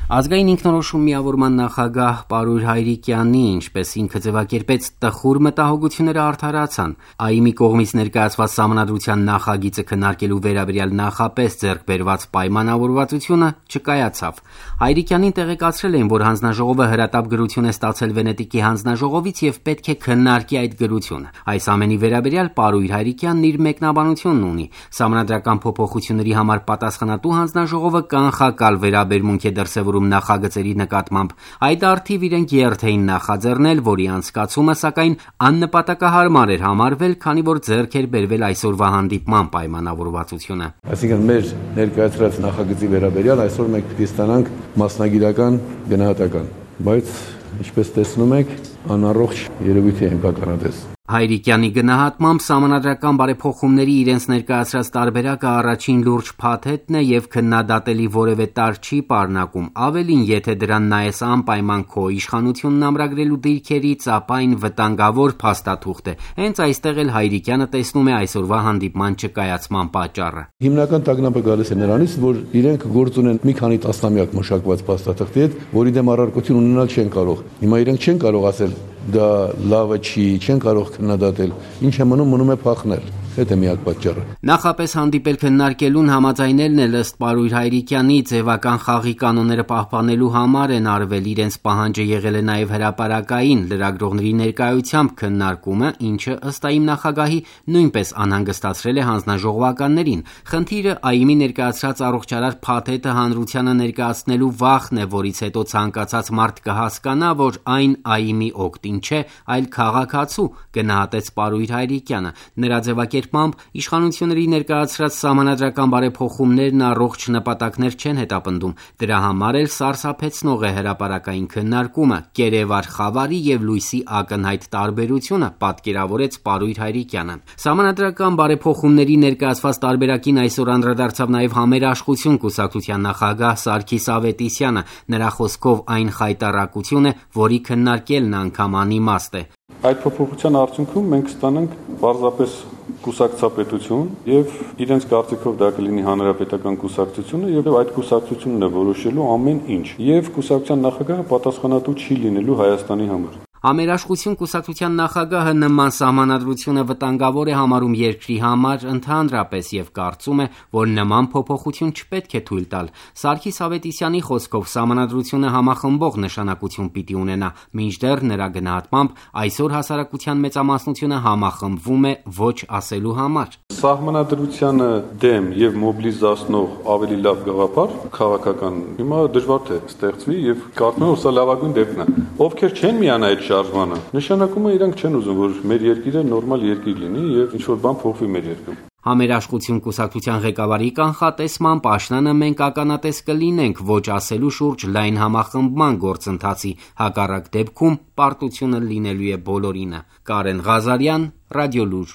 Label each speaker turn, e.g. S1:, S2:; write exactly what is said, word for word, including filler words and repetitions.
S1: Ազգային ինքնորոշում միավորման նախագահ Պարույր Հայրիկյանի, ինչպես ինքը ձևակերպեց, տխուր մտահոգությունները արդարացան։ ԱԻՄ-ի կողմից ներկայացված Սահմանադրության նախագիծը քննարկելու վերաբերյալ նախապես ձեռք բերված պայմանավորվածությունը չկայացավ։ Հայրիկյանին տեղեկացրել էին, որ հանձնաժողովը հրատապ գրություն է ստացել Վենետիկի հանձնաժողովից եւ պետք է քննարկի այդ գրությունը։ Այս ամենի վերաբերյալ Պարույր Հայրիկյանն իր մեկնաբանությունն ունի։ Սահմանադրական փոփոխությունների համար պատասխանատու հանձնաժողովը կանխակալ վերաբերմունք է դրսևորում նախագծերի նկատմամբ։ Այդ արդիվ իրենք երթ էին նախաձեռնել, որի անցկացումը սակայն աննպատակահարմար էր համարվել, քանի որ ձեռք էր բերվել այսօրվա հանդիպման պայմանավորվածությունը։
S2: Այսինքն մեր ներկայացրած նախագծի վերաբերյալ այսօր մենք պիտի ստանանք մասնագիտական գնահատական, բայց ինչպես տեսնում եք, անառողջ երևույթ է կանանատես։
S1: Հայրիկյանի գնահատմամբ սահմանադրական բարեփոխումների իրենց ներկայացրած տարբերակը առաջին լուրջ փաթեթն է եւ քննադատելի որևէ տար չի պարունակում։ Ավելին, եթե դրան նայես անպայման քո իշխանությունն ամրագրելու դիրքերից, ապա այն վտանգավոր փաստաթուղթ է։ Հենց այստեղ էլ Հայրիկյանը տեսնում է այսօրվա հանդիպման չկայացման պատճառը։
S2: Հիմնական տագնապը գալիս է նրանից, որ իրենք գործ ունեն մի քանի տասնամյակ մշակված փաստաթղթի հետ, որի դեմ առարկություն ունենալ չեն կարող։ Հիմա իրենք չեն կարող ասել դա լավը չի, չեն կարող քննադատել, ինչ է մնում, մնում է փախնել։ Դա միակ պատճառը։
S1: Նախապես հանդիպել քննարկելուն համաձայնելն էլ ըստ Պարույր Հայրիկյանի ձևական խաղի կանոնները պահպանելու համար են արվել, իրենց պահանջը եղել է նաև հրապարակային լրագրողների ներկայությամբ քննարկումը, ինչը ըստ ԱԻՄ նախագահի նույնպես անհանգստացրել է հանձնաժողովականներին։ Խնդիրը ԱԻՄ-ի ներկայացրած առողջարար փաթեթը հանրությանը ներկայացնելու վախն է, որից հետո ցանկացած մարդ կհասկանա, որ այն ԱԻՄ-ի օգտին չէ, այլ քաղաքացու, գնահատեց Պարույր Հայրիկյանը։ Նրա ձևակերպմամբ իշխանությունների ներկայացրած սահմանադրական բարեփոխումներն առողջ նպատակներ չեն հետապնդում։ Դրա համար էլ սարսափեցնող է հրապարակային քննարկումը, կերևար խավարի եւ լույսի ակնհայտ տարբերությունը, պատկերավորեց Պարույր Հայրիկյանը։ Սահմանադրական բարեփոխումների ներկայացված տարբերակին այսօր անդրադարձավ նաեւ Համերաշխություն կուսակցության նախագահ Սարգիս Ավետիսյանը։ Նրա խոսքով այն խայտառակություն է, որի քննարկելն անգամ անիմաստ է։
S3: Այդ փոփոխության արդյունքում մենք ստանանք պարզապես կուսակցապետություն եւ իրենց կարծիքով դա կլինի հանրապետական կուսակցությունը եւ այդ կուսակցությունն է որոշելու ամեն ինչ եւ կուսակցության նախագահը պատասխանատու չի լինելու Հայաստանի համար։
S1: Համերաշխություն կուսակցության նախագահը նման սահմանադրությունը վտանգավոր է համարում երկրի համար ընդհանրապես եւ կարծում է, որ նման փոփոխություն չպետք է թույլ տալ։ Սարգիս Ավետիսյանի խոսքով սահմանադրությունը համախմբող նշանակություն պիտի ունենա, մինչդեռ նրա գնահատմամբ այսօր հասարակության մեծամասնությունը համախմբվում է ոչ ասելու համար։
S3: Սահմանադրությանը դեմ եւ մոբիլիզացնող ավելի լավ գաղափար քաղաքական հիմա դժվար թե ստեղծվի եւ կարծում եմ, որ սա լավագույն դեպքն է։ Ովքեր չեն միանա այդ շարժմանը, նշանակում է իրանք չեն ուզում, որ մեր երկիրը նորմալ երկիր լինի եւ ինչ որ բան փոխվի մեր երկրում։
S1: Համերաշխություն կուսակցության ղեկավարի կանխատեսմամբ աշնանը մենք ականատես կլինենք ոչ ասելու շուրջ լայն համախմբման գործընթացի, հակառակ դեպքում պարտությունը լինելու է բոլորինը։ Կարեն Ղազարյան, Ռադիոլուր։